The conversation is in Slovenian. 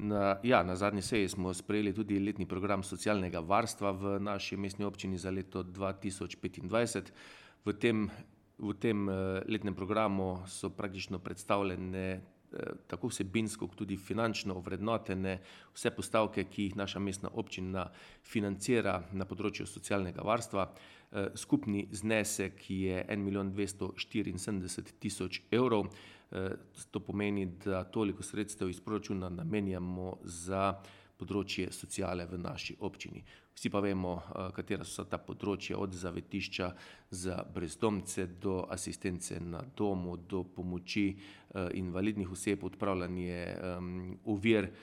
Na zadnji seji smo sprejeli tudi letni program socialnega varstva v naši mestni občini za leto 2025. V tem letnem programu so praktično predstavljene tako vsebinsko kot tudi finančno ovrednotene vse postavke, ki jih naša mestna občina financira na področju socialnega varstva. Skupni znesek je 1 274 000 evrov. To pomeni, da toliko sredstev iz proračuna namenjamo za področje sociale v naši občini. Vsi pa vemo, katera so ta področja, od zavetišča za brezdomce do asistence na domu, do pomoči invalidnih oseb, odpravljanje ovir